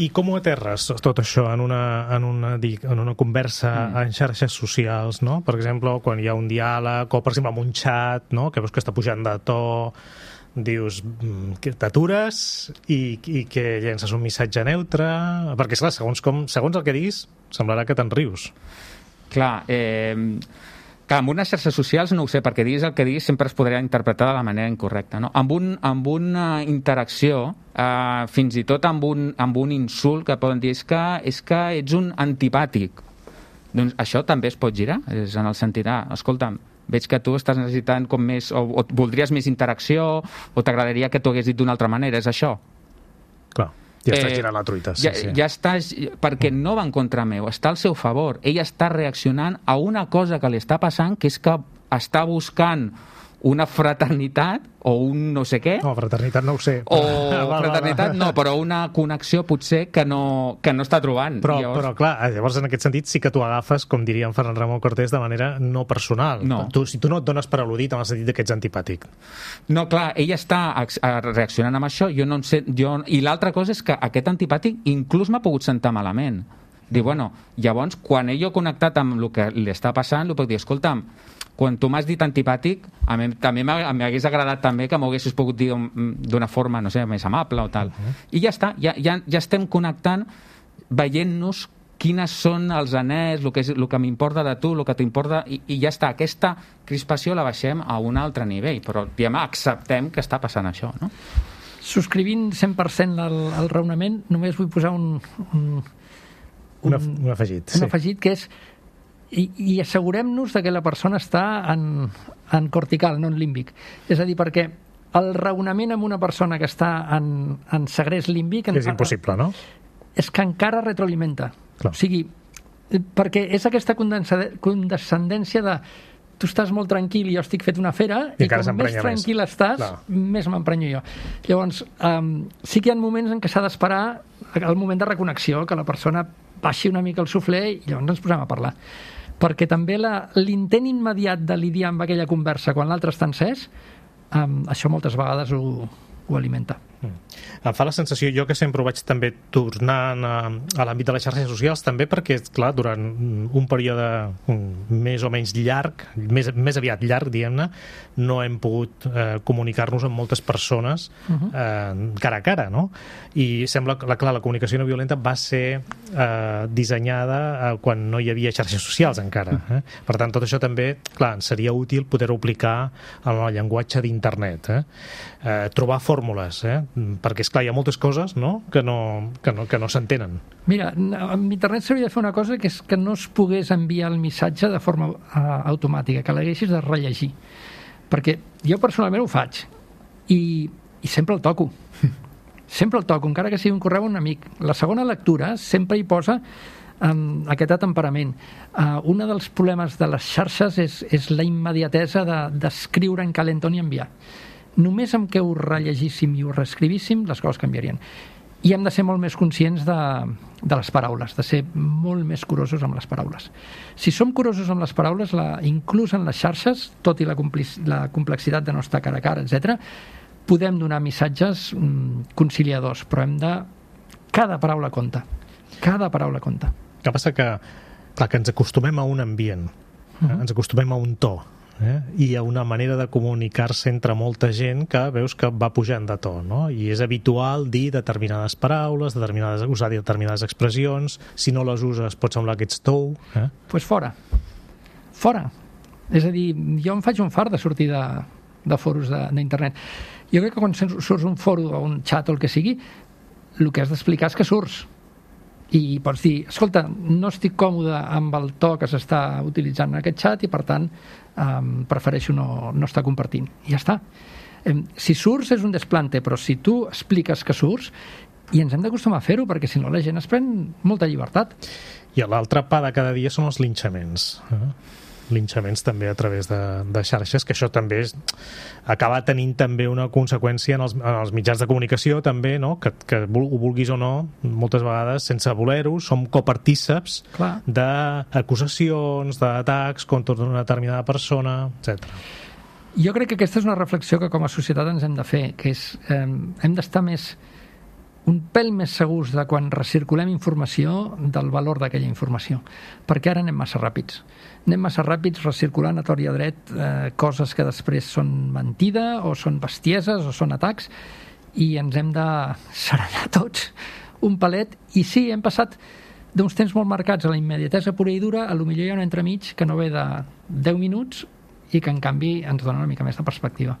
I com ho aterres tot això en una, en una, en una conversa mm. en xarxes socials, no? Per exemple, quan hi ha un diàleg, o per exemple en un xat, no? Que veus que està pujant de to, dius que t'atures i, i que llences un missatge neutre, perquè esclar, segons, com, segons el que diguis semblarà que te'n rius. Clar, eh, clar, amb unes xarxes socials no ho sé, perquè diguis el que diguis sempre es podrà interpretar de la manera incorrecta, no? Amb, un, amb una interacció, eh, fins i tot amb un, amb un insult que poden dir és que, és que ets un antipàtic, doncs això també es pot girar, és en el sentit, ah, escolta'm, veig que tu estàs necessitant com més, o, o voldries més interacció, o t'agradaria que t'ho hagués dit d'una altra manera, és això? Clar, ja estàs eh, girant la truita. Sí, ja, sí. ja estàs, perquè no va en contra meu, està al seu favor. Ell està reaccionant a una cosa que li està passant, que és que està buscant una fraternitat o un no sé què. No, fraternitat no ho sé. O fraternitat no, però una connexió potser que no, que no està trobant. Però, llavors... però clar, llavors en aquest sentit sí que tu agafes, com diria en Ferran Ramon Cortés, de manera no personal. No. Tu, si tu no et dones per al·ludit en el sentit que ets antipàtic. No, clar, ell està reaccionant amb això, jo no em sé, jo... i l'altra cosa és que aquest antipàtic inclús m'ha pogut sentar malament. Diu, bueno, llavors, quan ell ha connectat amb el que li està passant, li puc dir, escolta'm, quan tu m'has dit antipàtic, a mi també m'hagués agradat també que m'ho haguessis pogut dir d'una forma, no sé, més amable o tal. Uh-huh. I ja està, ja, ja, ja estem connectant, veient-nos quines són els anells, el que, és, el que m'importa de tu, el que t'importa, i, i ja està. Aquesta crispació la baixem a un altre nivell, però diguem, acceptem que està passant això, no? Subscrivint cent per cent el, el raonament, només vull posar un... un, un, un, un afegit. Un sí. afegit que és i, i assegurem-nos de que la persona està en, en cortical, no en límbic. És a dir, perquè el raonament amb una persona que està en, en segrest límbic... És impossible, no? És que encara retroalimenta. Clar. O sigui, perquè és aquesta condescendència de tu estàs molt tranquil i jo estic fet una fera i, i com més tranquil més. estàs, Clar. més m'emprenyo jo. Llavors, um, sí que hi ha moments en què s'ha d'esperar el moment de reconnexió, que la persona baixi una mica el suflé i llavors ens posem a parlar. Perquè també l'intent immediat de lidiar amb aquella conversa quan l'altre està encès, um, això moltes vegades ho, ho alimenta. Mm. Em fa la sensació, jo que sempre ho vaig també tornant a, a l'àmbit de les xarxes socials, també perquè, clar, durant un període un, més o menys llarg, més, més aviat llarg, diguem-ne, no hem pogut eh, comunicar-nos amb moltes persones uh-huh. eh, cara a cara, no? I sembla que, clar, la comunicació no violenta va ser eh, dissenyada eh, quan no hi havia xarxes socials encara. Eh? Per tant, tot això també, clar, seria útil poder-ho aplicar en el llenguatge d'internet. Eh? Eh, trobar fórmules, eh? Perquè, esclar, hi ha moltes coses, no?, que no, que no, que no s'entenen. Mira, amb internet s'hauria de fer una cosa que és que no es pogués enviar el missatge de forma uh, automàtica, que l'haguessis de rellegir. Perquè jo personalment ho faig i, i sempre el toco. Sempre el toco, encara que sigui un correu a un amic. La segona lectura sempre hi posa um, aquest temperament. Uh, un dels problemes de les xarxes és, és la immediatesa d'escriure de, en calentón i enviar. Només amb què ho rellegíssim i ho reescrivíssim, les coses canviarien. I hem de ser molt més conscients de, de les paraules, de ser molt més curosos amb les paraules. Si som curosos amb les paraules, la, inclús en les xarxes, tot i la, la complexitat de no estar cara a cara, etcètera, podem donar missatges mm, conciliadors, però hem de... Cada paraula compta. Cada paraula compta. El que passa que, clar, que ens acostumem a un ambient, uh-huh. eh? ens acostumem a un to, Eh? i a una manera de comunicar-se entre molta gent que veus que va pujant de to, no? I és habitual dir determinades paraules, determinades, usar determinades expressions. Si no les uses pot semblar que ets tou. Eh? Pues fora. Fora. És a dir, jo em faig un fart de sortir de, de foros d'internet. Jo crec que quan surts un foro o un xat o el que sigui, el que has d'explicar és que surts. I pots dir, escolta, no estic còmode amb el to que s'està utilitzant en aquest xat i, per tant, um, prefereixo no, no estar compartint. I ja està. Um, si surts és un desplante, però si tu expliques que surts, i ens hem d'acostumar a fer-ho, perquè si no la gent es pren molta llibertat. I l'altre pa de cada dia són els linxaments. Eh? linxaments també a través de, de xarxes, que això també és, acaba tenint també una conseqüència en els, en els mitjans de comunicació també, no? que, que ho vulguis o no, moltes vegades sense voler-ho, som copartíceps d'acusacions, d'atacs contra una determinada persona, etcètera. Jo crec que aquesta és una reflexió que com a societat ens hem de fer, que és eh, hem d'estar més un pèl més segurs de quan recirculem informació del valor d'aquella informació, perquè ara anem massa ràpids. Anem massa ràpids recirculant a tort i a dret eh, coses que després són mentida o són bestieses o són atacs, i ens hem de serenar tots un palet. I sí, hem passat d'uns temps molt marcats a la immediatesa pura i dura, a lo millor hi ha un entremig que no ve de deu minuts i que en canvi ens dona una mica més de perspectiva.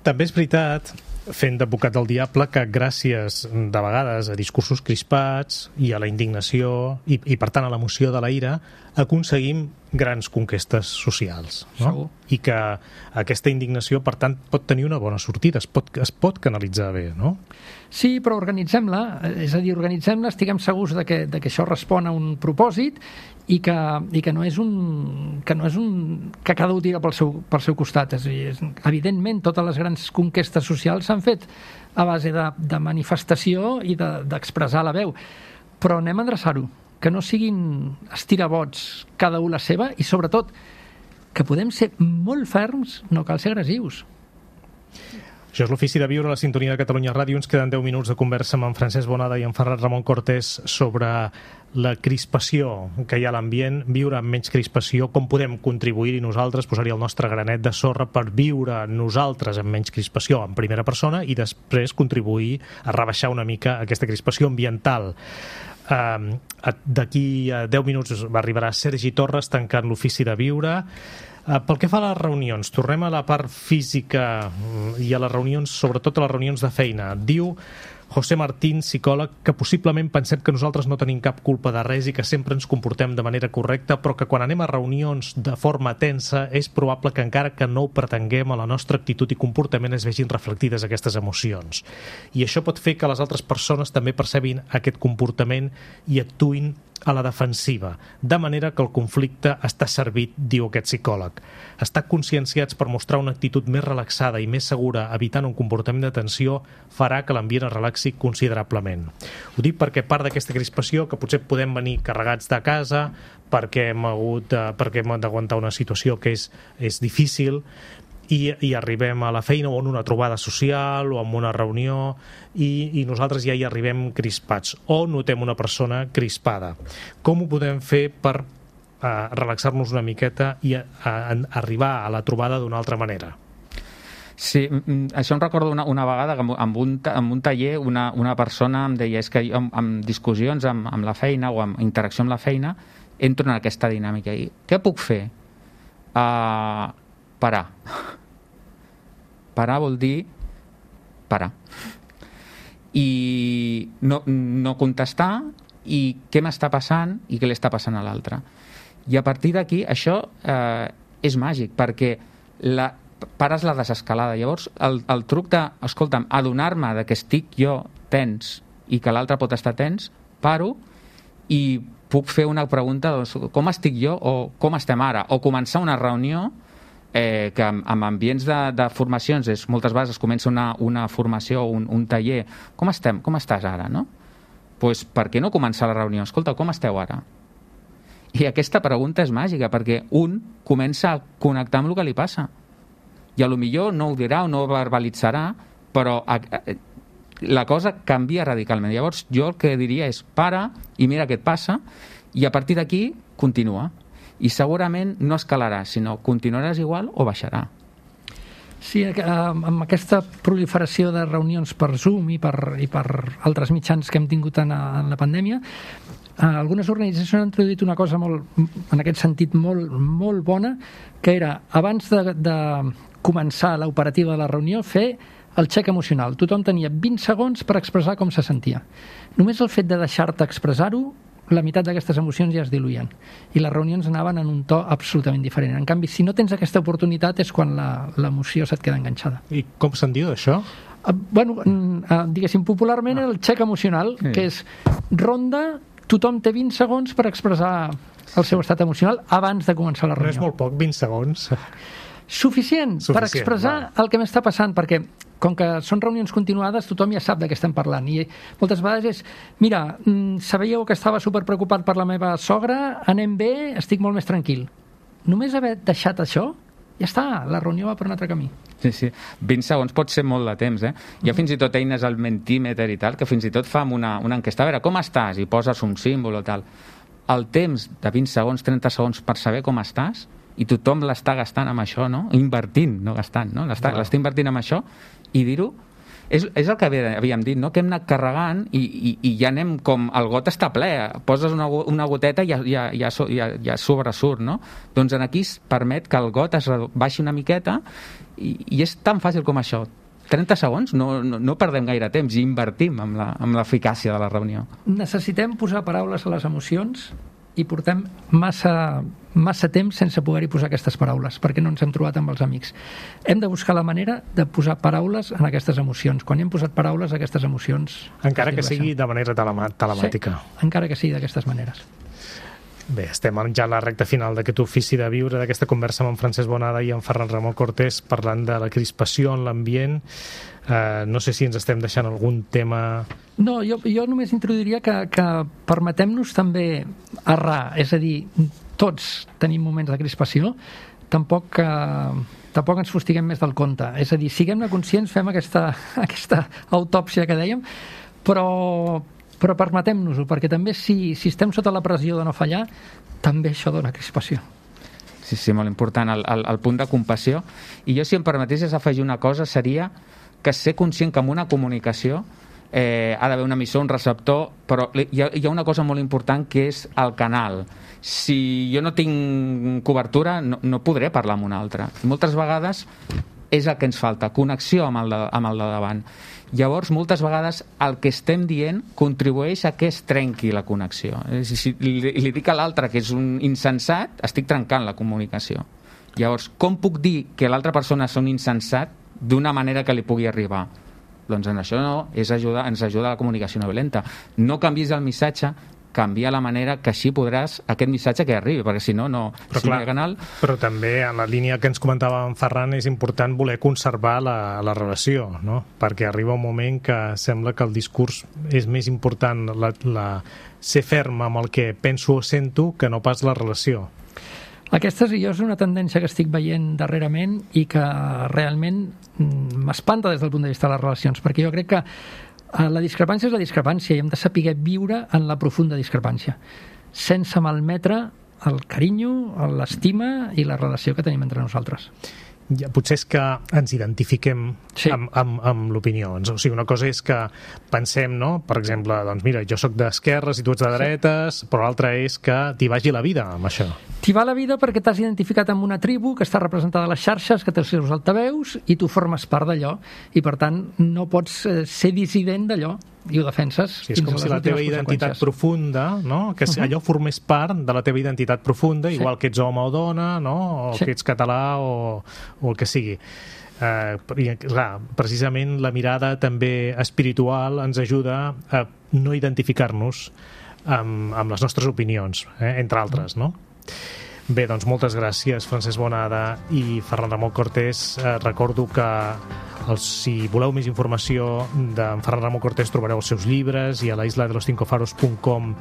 També és veritat, fent d'advocat del diable, que gràcies de vegades a discursos crispats i a la indignació i, i per tant a l'emoció de la ira, aconseguim grans conquestes socials, no? Segur. I que aquesta indignació, per tant, pot tenir una bona sortida, es pot, es pot canalitzar bé, no? Sí, però organitzem-la, és a dir, organitzem-la, estiguem segurs de que, de que això respon a un propòsit i que, i que no és un que no és un que cada un tira pel seu, pel seu costat. És, és, evidentment, totes les grans conquestes socials s'han fet a base de, de manifestació i d'expressar de, la veu, però anem a endreçar-ho, que no siguin estirabots cada un la seva, i sobretot que podem ser molt ferms, no cal ser agressius. Això és l'Ofici de Viure a la sintonia de Catalunya Ràdio. Ens queden deu minuts de conversa amb en Francesc Bonada i en Ferran Ramon Cortés sobre la crispació que hi ha a l'ambient, viure amb menys crispació, com podem contribuir-hi nosaltres, posar-hi el nostre granet de sorra per viure nosaltres amb menys crispació en primera persona i després contribuir a rebaixar una mica aquesta crispació ambiental. Uh, d'aquí a deu minuts arribarà Sergi Torres tancant l'Ofici de Viure. Uh, pel que fa a les reunions, tornem a la part física i a les reunions, sobretot a les reunions de feina. Diu José Martín, psicòleg, que possiblement pensem que nosaltres no tenim cap culpa de res i que sempre ens comportem de manera correcta, però que quan anem a reunions de forma tensa és probable que encara que no ho pretenguem, a la nostra actitud i comportament es vegin reflectides aquestes emocions. I això pot fer que les altres persones també percebin aquest comportament i actuïn a la defensiva, de manera que el conflicte està servit, diu aquest psicòleg. Estar conscienciats per mostrar una actitud més relaxada i més segura, evitant un comportament de tensió, farà que l'ambient es relaxi considerablement. Ho dic perquè part d'aquesta crispació, que potser podem venir carregats de casa, perquè hem hagut de, perquè hem d'aguantar una situació que és, és difícil, I, i arribem a la feina o en una trobada social o en una reunió i, i nosaltres ja hi arribem crispats o notem una persona crispada. Com ho podem fer per uh, relaxar-nos una miqueta i a, a, a arribar a la trobada d'una altra manera? Sí, això em recordo una, una vegada que en un, en un taller una, una persona em deia és que jo, amb, amb discussions amb, amb la feina o amb interacció amb la feina entro en aquesta dinàmica i què puc fer? Uh, parar. Parar vol dir parar. I no, no contestar i què m'està passant i què li està passant a l'altre. I a partir d'aquí això eh, és màgic perquè la, pares la desescalada. Llavors el, el truc de, escolta'm, adonar-me de que estic jo tens i que l'altre pot estar tens, paro i puc fer una pregunta doncs, com estic jo o com estem ara? O començar una reunió Eh, que amb, amb ambients de, de formacions és, moltes vegades es comença una, una formació, un, un taller, com estem? Com estàs ara? No? Pues, per què no començar la reunió? Escolta, com esteu ara? I aquesta pregunta és màgica perquè un comença a connectar amb el que li passa i a lo millor no ho dirà o no ho verbalitzarà, però a, a, la cosa canvia radicalment. Llavors jo el que diria és para i mira què et passa i a partir d'aquí continua. I segurament no escalarà, sinó continuaràs igual o baixarà. Sí, amb aquesta proliferació de reunions per Zoom i per, i per altres mitjans que hem tingut en, en la pandèmia, algunes organitzacions han introduït una cosa molt, en aquest sentit molt, molt bona, que era, abans de, de començar l'operativa de la reunió, fer el xec emocional. Tothom tenia vint segons per expressar com se sentia. Només el fet de deixar-te expressar-ho, la meitat d'aquestes emocions ja es diluïen i les reunions anaven en un to absolutament diferent. En canvi, si no tens aquesta oportunitat és quan l'emoció se't queda enganxada. I com se'n diu això? Uh, bueno, uh, diguéssim, popularment no. El xec emocional, sí. Que és ronda, tothom té vint segons per expressar el seu estat emocional abans de començar la reunió. No és molt poc, vint segons. Suficient, Suficient per expressar va. El que m'està passant, perquè com que són reunions continuades, tothom ja sap de què estem parlant. I moltes vegades és, mira, sabíeu que estava superpreocupat per la meva sogra, anem bé, estic molt més tranquil. Només haver deixat això, ja està, la reunió va per un altre camí. Sí, sí. vint segons pot ser molt de temps, eh? Hi ha fins i tot eines al Mentimeter i tal, que fins i tot fa una, una enquesta, a veure, com estàs? I poses un símbol o tal. El temps de vint segons, trenta segons per saber com estàs, i tothom l'està gastant amb això, no? Invertint, no gastant, no? L'està no. invertint amb això, i dir-ho, és, és el que havíem dit, no? Que hem anat carregant i, i, i ja anem com, el got està ple, poses una, una goteta i ja, ja, ja, ja, ja sobresurt, no? Doncs aquí es permet que el got es baixi una miqueta i, i és tan fàcil com això. trenta segons, no, no, no perdem gaire temps i invertim amb l'eficàcia de la reunió. Necessitem posar paraules a les emocions i portem massa, massa temps sense poder-hi posar aquestes paraules, perquè no ens hem trobat amb els amics. Hem de buscar la manera de posar paraules en aquestes emocions. Quan hi hem posat paraules a aquestes emocions... Encara que sigui de manera telemàtica. Sí, encara que sigui d'aquestes maneres. Bé, estem ja a la recta final d'aquest ofici de viure, d'aquesta conversa amb en Francesc Bonada i en Ferran Ramon Cortés parlant de la crispació en l'ambient. Uh, no sé si ens estem deixant algun tema... No, jo, jo només introduiria que, que permetem-nos també errar, és a dir, tots tenim moments de crispació, tampoc que tampoc ens fustiguem més del compte. És a dir, siguem-ne conscients, fem aquesta, aquesta autòpsia que dèiem, però, però permetem-nos-ho, perquè també si, si estem sota la pressió de no fallar, també això dona crispació. Sí, sí, molt important, el, el, el punt de compassió. I jo, si em permetessis afegir una cosa, seria que ser conscient que en una comunicació eh, ha d'haver un emissor, un receptor, però hi ha, hi ha una cosa molt important que és el canal. Si jo no tinc cobertura, no, no podré parlar amb un altre. Moltes vegades és el que ens falta, connexió amb el de, amb el de davant. Llavors, moltes vegades el que estem dient contribueix a que es trenqui la connexió. Si, si li, li dic a l'altre que és un insensat, estic trencant la comunicació. Llavors, com puc dir que l'altra persona és un insensat d'una manera que li pugui arribar? Doncs en això no, és ajuda, ens ajuda la comunicació no violenta. No canvis el missatge, canvia la manera que així podràs aquest missatge que arribi, perquè si no, no... Però, si clar, no hi ha canal... però també en la línia que ens comentava en Ferran és important voler conservar la, la relació, no? Perquè arriba un moment que sembla que el discurs és més important la, la, ser ferm amb el que penso o sento que no pas la relació. Aquesta és, és una tendència que estic veient darrerament i que realment m'espanta des del punt de vista de les relacions, perquè jo crec que la discrepància és la discrepància i hem de saber viure en la profunda discrepància, sense malmetre el carinyo, l'estima i la relació que tenim entre nosaltres. Ja, potser és que ens identifiquem sí. amb, amb, amb l'opinió. O sigui, una cosa és que pensem, no? Per exemple, doncs mira, jo sóc d'esquerres i tu ets de dretes, sí. però l'altra és que t'hi vagi la vida amb això. T'hi va la vida perquè t'has identificat amb una tribu que està representada a les xarxes, que té els seus altaveus i tu formes part d'allò i per tant no pots ser dissident d'allò i ho defenses. Sí, és com si la teva identitat profunda, no? Que uh-huh. allò formés part de la teva identitat profunda, sí. igual que ets home o dona, no? O sí. que ets català o, o el que sigui. Eh, i, clar, precisament la mirada també espiritual ens ajuda a no identificar-nos amb, amb les nostres opinions, eh? entre altres, no? Bé, doncs moltes gràcies, Francesc Bonada i Ferran Ramon Cortés. Eh, recordo que els, si voleu més informació d'en Ferran Ramon Cortés trobareu els seus llibres i a la isla de los cinco faros punt com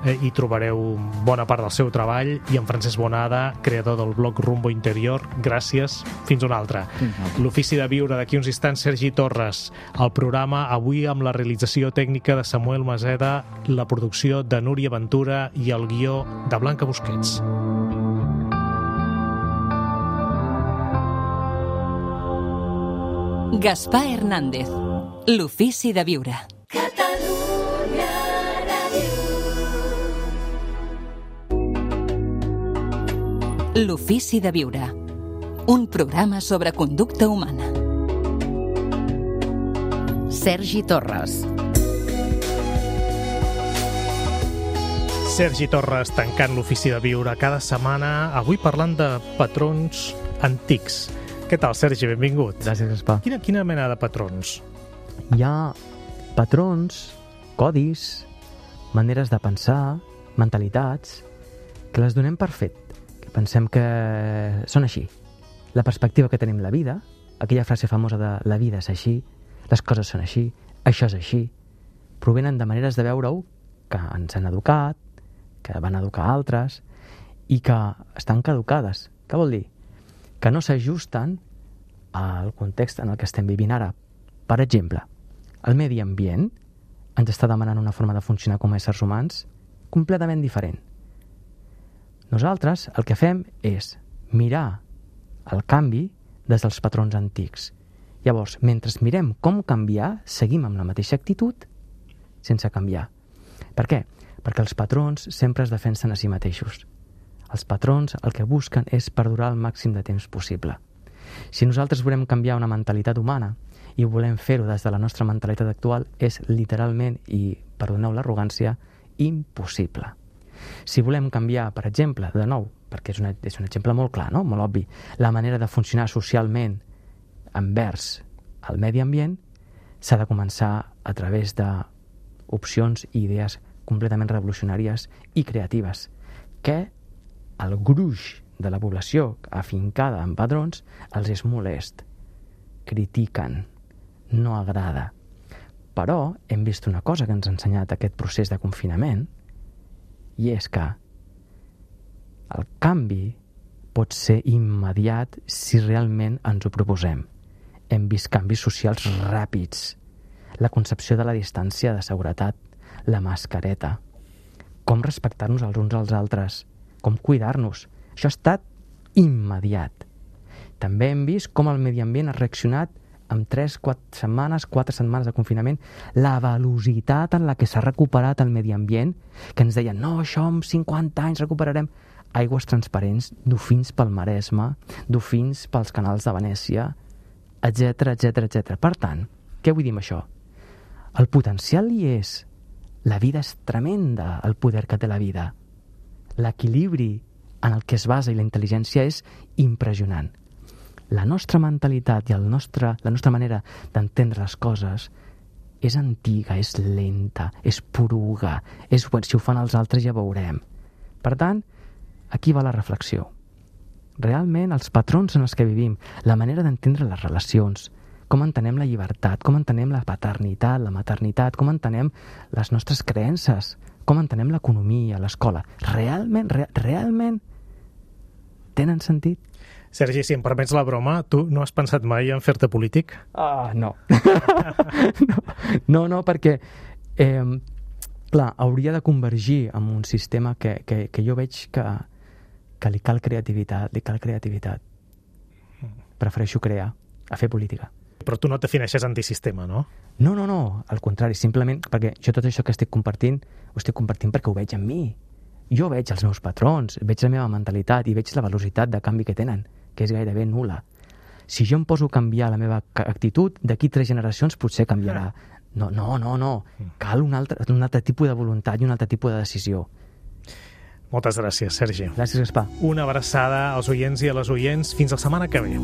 eh, hi trobareu bona part del seu treball, i en Francesc Bonada, creador del blog Rumbo Interior. Gràcies, fins una altra. Mm-hmm. L'Ofici de Viure, d'aquí uns instants, Sergi Torres. El programa avui amb la realització tècnica de Samuel Maseda, la producció de Núria Ventura i el guió de Blanca Busquets. Gaspar Hernández, l'Ofici de Viure. Catalunya Ràdio. L'Ofici de Viure, un programa sobre conducta humana. Sergi Torres. Sergi Torres tancant l'Ofici de Viure cada setmana, avui parlant de patrons antics. Què tal, Sergi? Benvingut. Gràcies, Gaspar. Quina, quina mena de patrons? Hi ha patrons, codis, maneres de pensar, mentalitats, que les donem per fet, que pensem que són així. La perspectiva que tenim la vida, aquella frase famosa de la vida és així, les coses són així, això és així, provenen de maneres de veure-ho que ens han educat, que van educar altres i que estan caducades. Què vol dir? Que no s'ajusten al context en el que estem vivint ara. Per exemple, el medi ambient ens està demanant una forma de funcionar com a éssers humans completament diferent. Nosaltres el que fem és mirar el canvi des dels patrons antics. Llavors, mentre mirem com canviar, seguim amb la mateixa actitud sense canviar. Per què? Perquè els patrons sempre es defensen a si mateixos. Els patrons el que busquen és perdurar el màxim de temps possible. Si nosaltres volem canviar una mentalitat humana i volem fer-ho des de la nostra mentalitat actual, és literalment, i perdoneu l'arrogància, impossible. Si volem canviar, per exemple, de nou, perquè és, una, és un exemple molt clar, no? Molt obvi, la manera de funcionar socialment envers el medi ambient, s'ha de començar a través d'opcions i idees completament revolucionàries i creatives, que el gruix de la població afincada en patrons els és molest, critiquen, no agrada. Però hem vist una cosa que ens ha ensenyat aquest procés de confinament, i és que el canvi pot ser immediat si realment ens ho proposem. Hem vist canvis socials ràpids. La concepció de la distància de seguretat, la mascareta, com respectar-nos els uns als altres, com cuidar-nos. Això ha estat immediat. També hem vist com el medi ambient ha reaccionat amb tres, quatre setmanes, quatre setmanes de confinament, la velocitat en la que s'ha recuperat el medi ambient, que ens deien, no, això en cinquanta anys recuperarem aigües transparents, dofins pel Maresme, dofins pels canals de Venècia, etcètera, etcètera, etcètera. Per tant, què vull dir amb això? El potencial hi és. La vida és tremenda, el poder que té la vida. L'equilibri en el que es basa i la intel·ligència és impressionant. La nostra mentalitat i el nostre, la nostra manera d'entendre les coses és antiga, és lenta, és poruga, és bueno, si ho fan els altres ja veurem. Per tant, aquí va la reflexió. Realment, els patrons en els que vivim, la manera d'entendre les relacions, com entenem la llibertat, com entenem la paternitat, la maternitat, com entenem les nostres creences, com entenem l'economia, l'escola, realment, re, realment tenen sentit? Sergi, si em permets la broma, tu no has pensat mai en fer-te polític? Ah, no. no. No, no, perquè eh, clar, hauria de convergir amb un sistema que, que, que jo veig que, que li cal creativitat, li cal creativitat. Prefereixo crear, a fer política. Però tu no et defineixes antisistema, no? No, no, no, al contrari, simplement perquè jo tot això que estic compartint, ho estic compartint perquè ho veig en mi. Jo veig els meus patrons, veig la meva mentalitat i veig la velocitat de canvi que tenen, que és gairebé nul·la. Si jo em poso a canviar la meva actitud, d'aquí tres generacions potser canviarà. No, no, no, no. Cal un altre, un altre tipus de voluntat i un altre tipus de decisió. Moltes gràcies, Sergi. Gràcies, Gaspar. Una abraçada als oients i a les oients. Fins la setmana que ve.